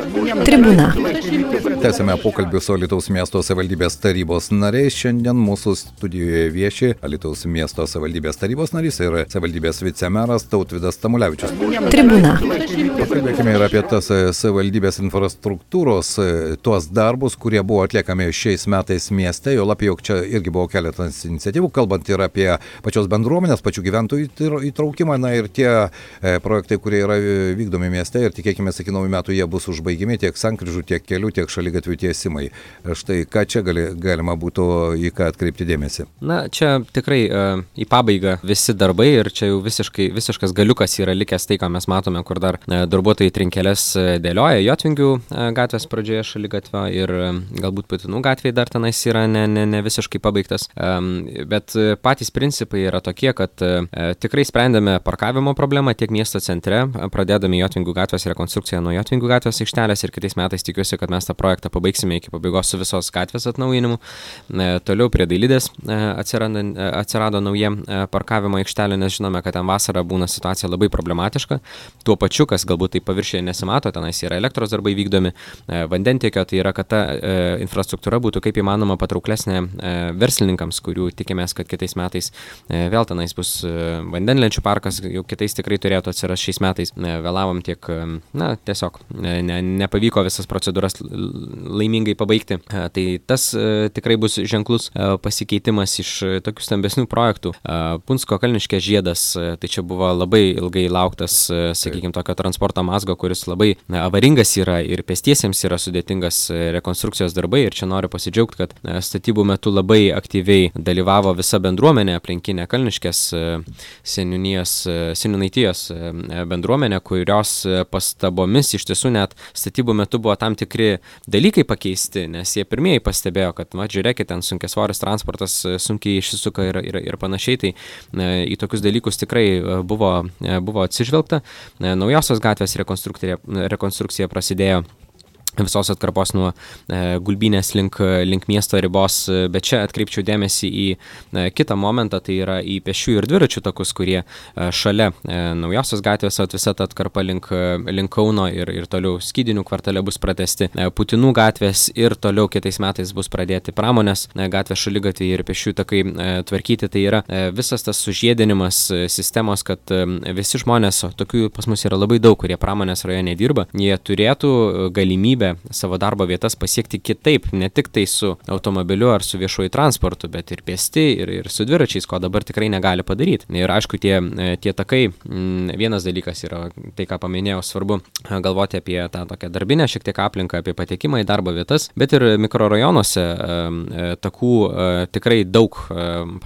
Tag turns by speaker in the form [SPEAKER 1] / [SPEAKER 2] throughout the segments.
[SPEAKER 1] Tribūna.
[SPEAKER 2] Tęsime pokalbį su Alytaus miesto savivaldybės tarybos nariais. Šiandien mūsų studijoje vieši Alytaus miesto savivaldybės tarybos narys ir savivaldybės vicemeras Tautvydas Tamulevičius.
[SPEAKER 1] Tribūna.
[SPEAKER 2] Pakalbėkime ir apie tas savivaldybės infrastruktūros, tuos darbus, kurie buvo atliekami šiais metais mieste. Jo labiau, jog čia irgi buvo keletas iniciatyvų, kalbant ir apie pačios bendruomenės, pačių gyventojų įtraukimą, na ir tie projektai, kurie yra vykdomi mieste ir tikėkime, iki naujų metų jie bus užbaigiami tiek sankryžų, tiek kelių, tiek šaligatvių tiesimai. Štai ką čia galima būtų į ką atkreipti dėmesį?
[SPEAKER 3] Na, čia tikrai į pabaigą visi darbai ir čia jau visiškas galiukas yra likęs tai, ką mes matome, kur dar darbuotojai trinkelės dėlioja Jotvingių gatvės pradžioje šaligatvio ir galbūt Putinų gatvėje dar tenais yra ne visiškai pabaigtas. Bet patys principai yra tokie, kad tikrai sprendėme parkavimo problemą tiek miesto centre, pradėdami Jotvingių gatvės rekonstrukciją nuo Jotvingių gatvės aikštelės ir kitais metais tikiuosi, kad mes tą projektą pabaigsime iki pabaigos su visos gatvės atnaujinimu. Toliau prie Dailidės atsirado nauja parkavimo aikštelė, nes žinome, kad ten vasarą būna situacija labai problematiška. Tuo pačiu, kas galbūt tai paviršiuje nesimato, tenais yra elektros darbai vykdomi, vandentiekio, tai yra, kad ta infrastruktūra būtų kaip įmanoma patrauklesnė verslininkams, kurių tikimės, kad kitais metais vėl tenais bus vandenlenčių parkas, jau kitais tikrai turėtų atsirasti šiais metais. Vėlavom tiek, tiesiog nepavyko visas procedūras laimingai pabaigti. Tai tas tikrai bus ženklus pasikeitimas iš tokių stambesnių projektų. Punsko Kalniškės žiedas, tai čia buvo labai ilgai lauktas, sakykime, tokio transporto mazgo, kuris labai avaringas yra ir pėstiesiems yra sudėtingas rekonstrukcijos darbai ir čia noriu pasidžiaugti, kad statybų metu labai aktyviai dalyvavo visa bendruomenė aplinkinė Kalniškės seniūnaitijos bendruomenė, kurios pastabomis iš tiesų net statybų metu buvo tam tikri dalykai pakeisti, nes jie pirmieji pastebėjo, kad, žiūrėkit, ten sunkiasvoris transportas sunkiai išsisuka ir panašiai, tai į tokius dalykus tikrai buvo atsižvelgta. Naujosios gatvės rekonstrukcija prasidėjo visos atkarpos nuo Gulbynės link miesto ribos, bet čia atkreipčiau dėmesį į kitą momentą, tai yra į pėsčiųjų ir dviračių takus, kurie šalia Naujosios gatvės, visa ta atkarpa link Kauno ir toliau Skydinių kvartale bus pratęsti, Putinų gatvės ir toliau kitais metais bus pradėti Pramonės gatvės šaligatviai ir pėsčiųjų takai tvarkyti. Tai yra visas tas sužiedinimas sistemos, kad visi žmonės, tokių pas mus yra labai daug, kurie Pramonės rajone dirba, jie turėtų galimybę savo darbo vietas pasiekti kitaip, ne tik tai su automobiliu ar su viešuoju transportu, bet ir pėsti ir su dviračiais, ko dabar tikrai negali padaryti. Ir aišku, tie takai, vienas dalykas yra tai, ką paminėjau, svarbu galvoti apie tą tokią darbinę šiek tiek aplinką, apie patekimą į darbo vietas, bet ir mikrorajonuose takų tikrai daug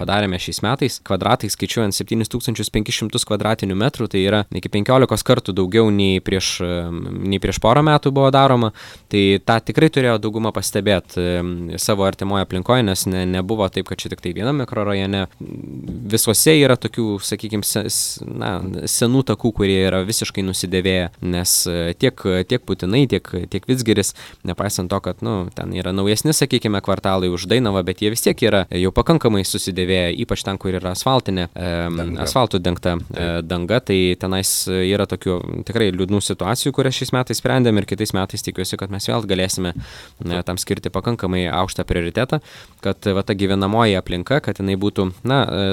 [SPEAKER 3] padarėme šiais metais, kvadratai skaičiuojant 7500 kvadratinių metrų, tai yra iki 15 kartų daugiau nei prieš porą metų buvo daroma. Tai tą tikrai turėjo dauguma pastebėti savo artimoje aplinkoje, nes nebuvo taip, kad čia tik tai vienam mikrorajone. Visuose yra tokių, sakykime, senų takų, kurie yra visiškai nusidėvėję, nes tiek Putinai, tiek Vidzgiris, nepaisant to, kad ten yra naujesni, sakykime, kvartalai už Dainavą, bet jie vis tiek yra jau pakankamai susidėvėję, ypač ten, kur yra asfaltų dengta danga, tai tenais yra tokių tikrai liūdnų situacijų, kurias šiais metais sprendėm ir kitais metais tikiuosi, kad mes vėl galėsime tam skirti pakankamai aukštą prioritetą, kad ta gyvenamoji aplinka, kad jinai būtų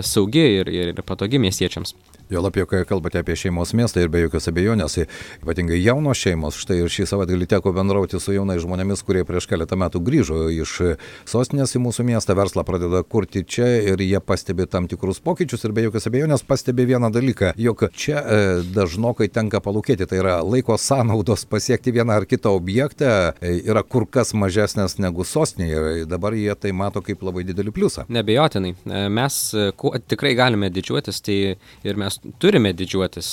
[SPEAKER 3] saugi ir patogi miestiečiams.
[SPEAKER 2] Jo labiau, kai kalbate apie šeimos miestą ir be jokios abejonės, ypatingai jaunos šeimos, štai ir šį savaitgalį teko bendrauti su jaunais žmonėmis, kurie prieš keletą metų grįžo iš sostinės į mūsų miestą, verslą pradeda kurti čia ir jie pastebi tam tikrus pokyčius ir be jokios abejonės pastebi vieną dalyką, jog čia dažnokai tenka palūkėti, tai yra laiko sąnaudos pasiekti vieną ar kitą objektą yra kur kas mažesnės negu sostinėje ir dabar jie tai mato kaip labai didelį pliusą.
[SPEAKER 3] Neabejotinai, mes tikrai galime didžiuotis, tai ir mes turime didžiuotis.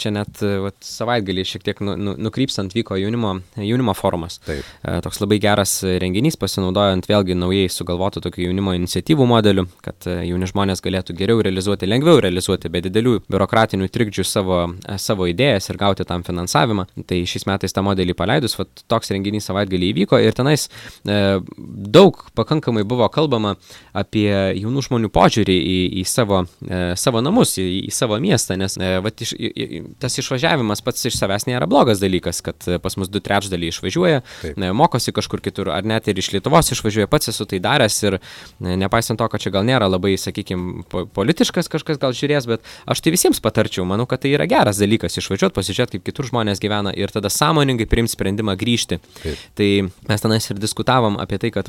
[SPEAKER 3] Čia net savaitgalį šiek tiek nukrypstant vyko jaunimo forumas.
[SPEAKER 2] Taip.
[SPEAKER 3] Toks labai geras renginys, pasinaudojant vėlgi naujai sugalvotų tokių jaunimo iniciatyvų modelių, kad jauni žmonės galėtų geriau realizuoti, lengviau realizuoti, be didelių biurokratinių trikdžių savo idėjas ir gauti tam finansavimą. Tai šiais metais tą modelį paleidus, toks renginys savaitgalį įvyko ir tenais daug pakankamai buvo kalbama apie jaunų žmonių požiūrį į savo namus, į savo miestą. miestą, nes tas išvažiavimas pats iš savęs nėra blogas dalykas, kad pas mus 2/3 išvažiuoja, mokosi kažkur kitur, ar net ir iš Lietuvos išvažiuoja, pats esu tai daręs ir nepaisant to, kad čia gal nėra labai, sakykime, politiškas kažkas gal žiūrės, bet aš tai visiems patarčiau, manau, kad tai yra geras dalykas išvažiuoti, pasižiūrėti, kaip kitur žmonės gyvena ir tada sąmoningai priimti sprendimą grįžti. Tai mes tenais ir diskutavom apie tai, kad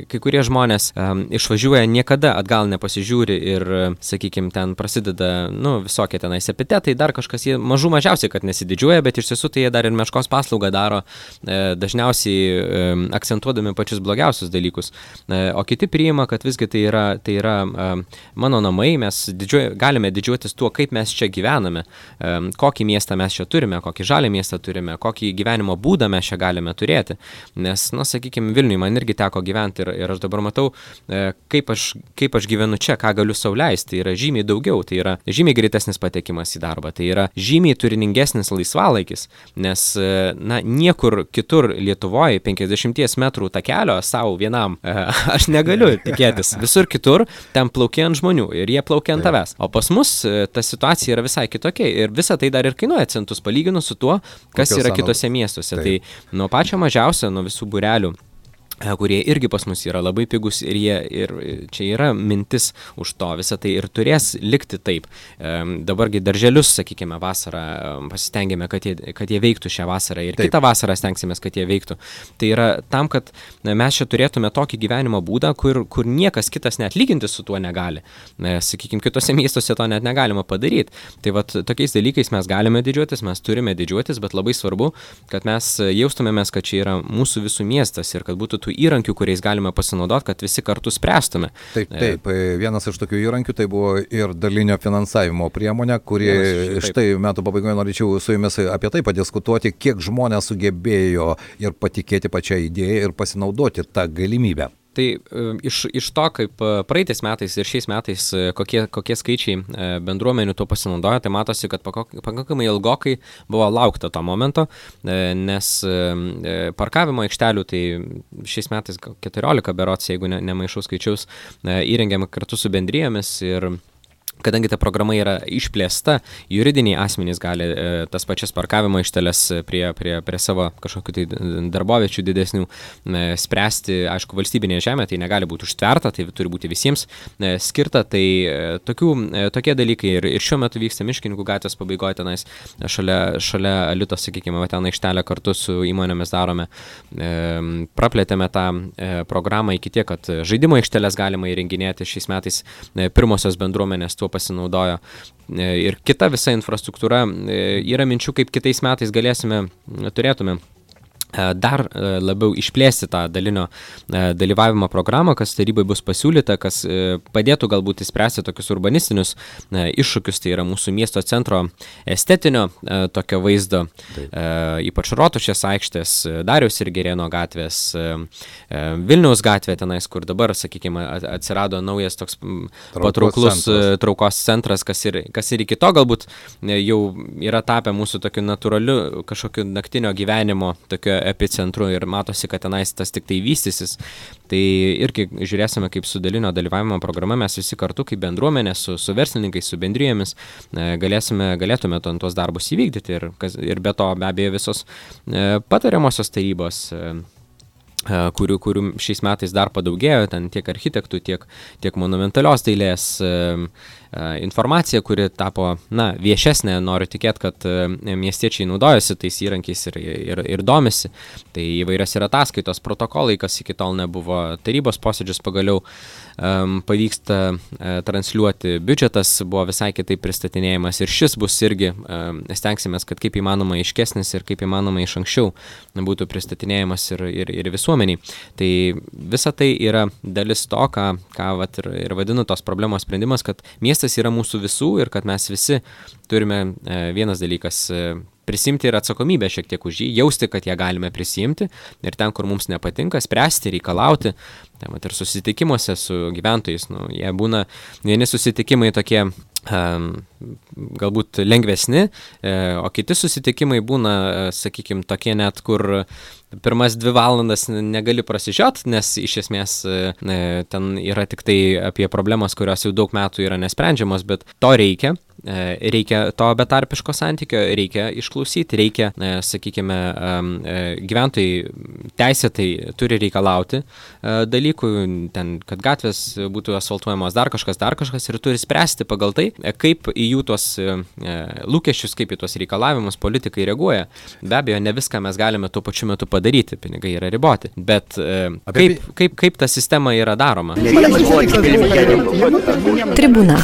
[SPEAKER 3] kai kurie žmonės išvažiuoja, niekada atgal nepasižiūri ir, sakykime, ten prasideda, visokie tenais epitetai, dar kažkas, jie mažiausiai, kad nesididžiuoja, bet iš tiesų tai jie dar ir meškos paslaugą daro, dažniausiai akcentuodami pačius blogiausius dalykus. O kiti priima, kad visgi tai yra mano namai, mes galime didžiuotis tuo, kaip mes čia gyvename, kokį miestą mes čia turime, kokį žalią miestą turime, kokį gyvenimo būdą mes čia galime turėti. Nes, sakykime, Vilniuje man irgi teko gyventi ir aš dabar matau, kaip aš gyvenu čia, ką galiu sau leisti. Tai yra žymiai daugiau, tai yra žymiai greitesnis patekimas į darbą, tai yra žymiai turiningesnis laisvalaikis, nes, niekur kitur Lietuvoje 50 metrų takelio savo vienam aš negaliu tikėtis. Visur kitur ten plaukia ant žmonių ir jie plaukia ant tavęs. O pas mus ta situacija yra visai kitokia ir visa tai dar ir kainuoja centus palyginus su tuo, kas yra kitose miestuose. Tai nuo pačio mažiausio, nuo visų būrelių, kurie irgi pas mus yra labai pigus ir čia yra mintis už to, visą tai ir turės likti taip. Dabargi darželius, sakykime, vasarą pasistengėme, kad jie veiktų šią vasarą ir kitą vasarą stengsimės, kad jie veiktų. Tai yra tam, kad mes čia turėtume tokį gyvenimo būdą, kur niekas kitas net lyginti su tuo negali. Sakykime, kitose miestuose to net negalima padaryti. Tai tokiais dalykais mes galime didžiuotis, mes turime didžiuotis, bet labai svarbu, kad mes jaustumėmės, kad čia yra mūsų visų miestas ir kad būtų įrankių, kuriais galime pasinaudoti, kad visi kartu spręstume.
[SPEAKER 2] Taip. Vienas iš tokių įrankių tai buvo ir dalinio finansavimo priemonė, kuri štai metų pabaigoje norėčiau su jumis apie tai padiskutuoti, kiek žmonės sugebėjo ir patikėti pačią idėją ir pasinaudoti tą galimybę.
[SPEAKER 3] Tai iš to, kaip praeitais metais ir šiais metais, kokie skaičiai bendruomenių to pasinaudoja, tai matosi, kad pakankamai ilgokai buvo laukta to momento, nes parkavimo aikštelių, tai šiais metais 14 berods, jeigu nemaišau skaičiaus, įrengėme kartu su bendrijomis ir kadangi ta programa yra išplėsta, juridiniai asmenys gali tas pačias parkavimo aikšteles prie savo kažkokių tai darboviečių didesnių spręsti, aišku, valstybinėje žemėje, tai negali būti užtverta, tai turi būti visiems skirta, tai tokie dalykai ir šiuo metu vyksta Miškininkų gatvės pabaigoje tenais, šalia Alitos, sakykime, ten aikštelę kartu su įmonėmis darome, praplėtėme tą programą iki tiek, kad žaidimo aikšteles galima įrenginėti šiais metais, pirmosios bendruomenės tuo pasinaudojo. Ir kita visa infrastruktūra, yra minčių, kaip kitais metais turėtume dar labiau išplėsti tą dalinio dalyvavimo programą, kas tarybai bus pasiūlyta, kas padėtų galbūt įspręsti tokius urbanistinius iššūkius, tai yra mūsų miesto centro estetinio tokio vaizdo, ypač Rotušės aikštės, Dariaus ir Girėno gatvės, Vilniaus gatvė tenais, kur dabar, sakykime, atsirado naujas toks patrauklus traukos centras, kas ir iki to galbūt jau yra tapę mūsų tokiu natūraliu kažkokiu naktinio gyvenimo tokio epicentru ir matosi, kad tenais tas tik tai vystysis. Tai irgi žiūrėsime, kaip su dalinio dalyvavimo programa mes visi kartu, kaip bendruomenė, su verslininkais, su bendrijomis galėtume tuos darbus įvykdyti ir be to be abejo visos patariamosios tarybos, kurių šiais metais dar padaugėjo, ten tiek architektų, tiek monumentalios dailės informacija, kuri tapo viešesnė, noriu tikėti, kad miestiečiai naudojasi tais įrankiais ir domisi. Tai įvairios yra ataskaitos, protokolai, kas iki tol nebuvo, tarybos posėdžius pagaliau pavyksta transliuoti, biudžetas buvo visai kitaip pristatinėjimas ir šis bus irgi, stengsimės, kad kaip įmanoma aiškesnis ir kaip įmanoma iš anksčiau būtų pristatinėjimas ir visuomeniai. Tai visa tai yra dalis to, ką vat ir vadinu tos problemos sprendimas, kad miestas yra mūsų visų ir kad mes visi turime vienas dalykas prisimti ir atsakomybę šiek tiek už jį, jausti, kad ją galime prisimti ir ten, kur mums nepatinka, spręsti, reikalauti. Ir susitikimuose su gyventojais, jie būna vieni susitikimai tokie galbūt lengvesni, o kiti susitikimai būna, sakykime, tokie net, kur pirmas 2 valandas negali prasižiot, nes iš esmės ten yra tik tai apie problemas, kurios jau daug metų yra nesprendžiamos, bet to reikia. Reikia to betarpiško santykio, reikia išklausyti, reikia, sakykime, gyventojai teisėtai turi reikalauti dalykų, ten, kad gatvės būtų asfaltuojamos dar kažkas ir turi spręsti pagal tai, kaip į jų tuos lūkesčius, kaip į tuos reikalavimus politikai reaguoja. Be abejo, ne viską mes galime tuo pačiu metu padaryti, pinigai yra riboti, bet kaip ta sistema yra daroma.
[SPEAKER 1] Tribūna.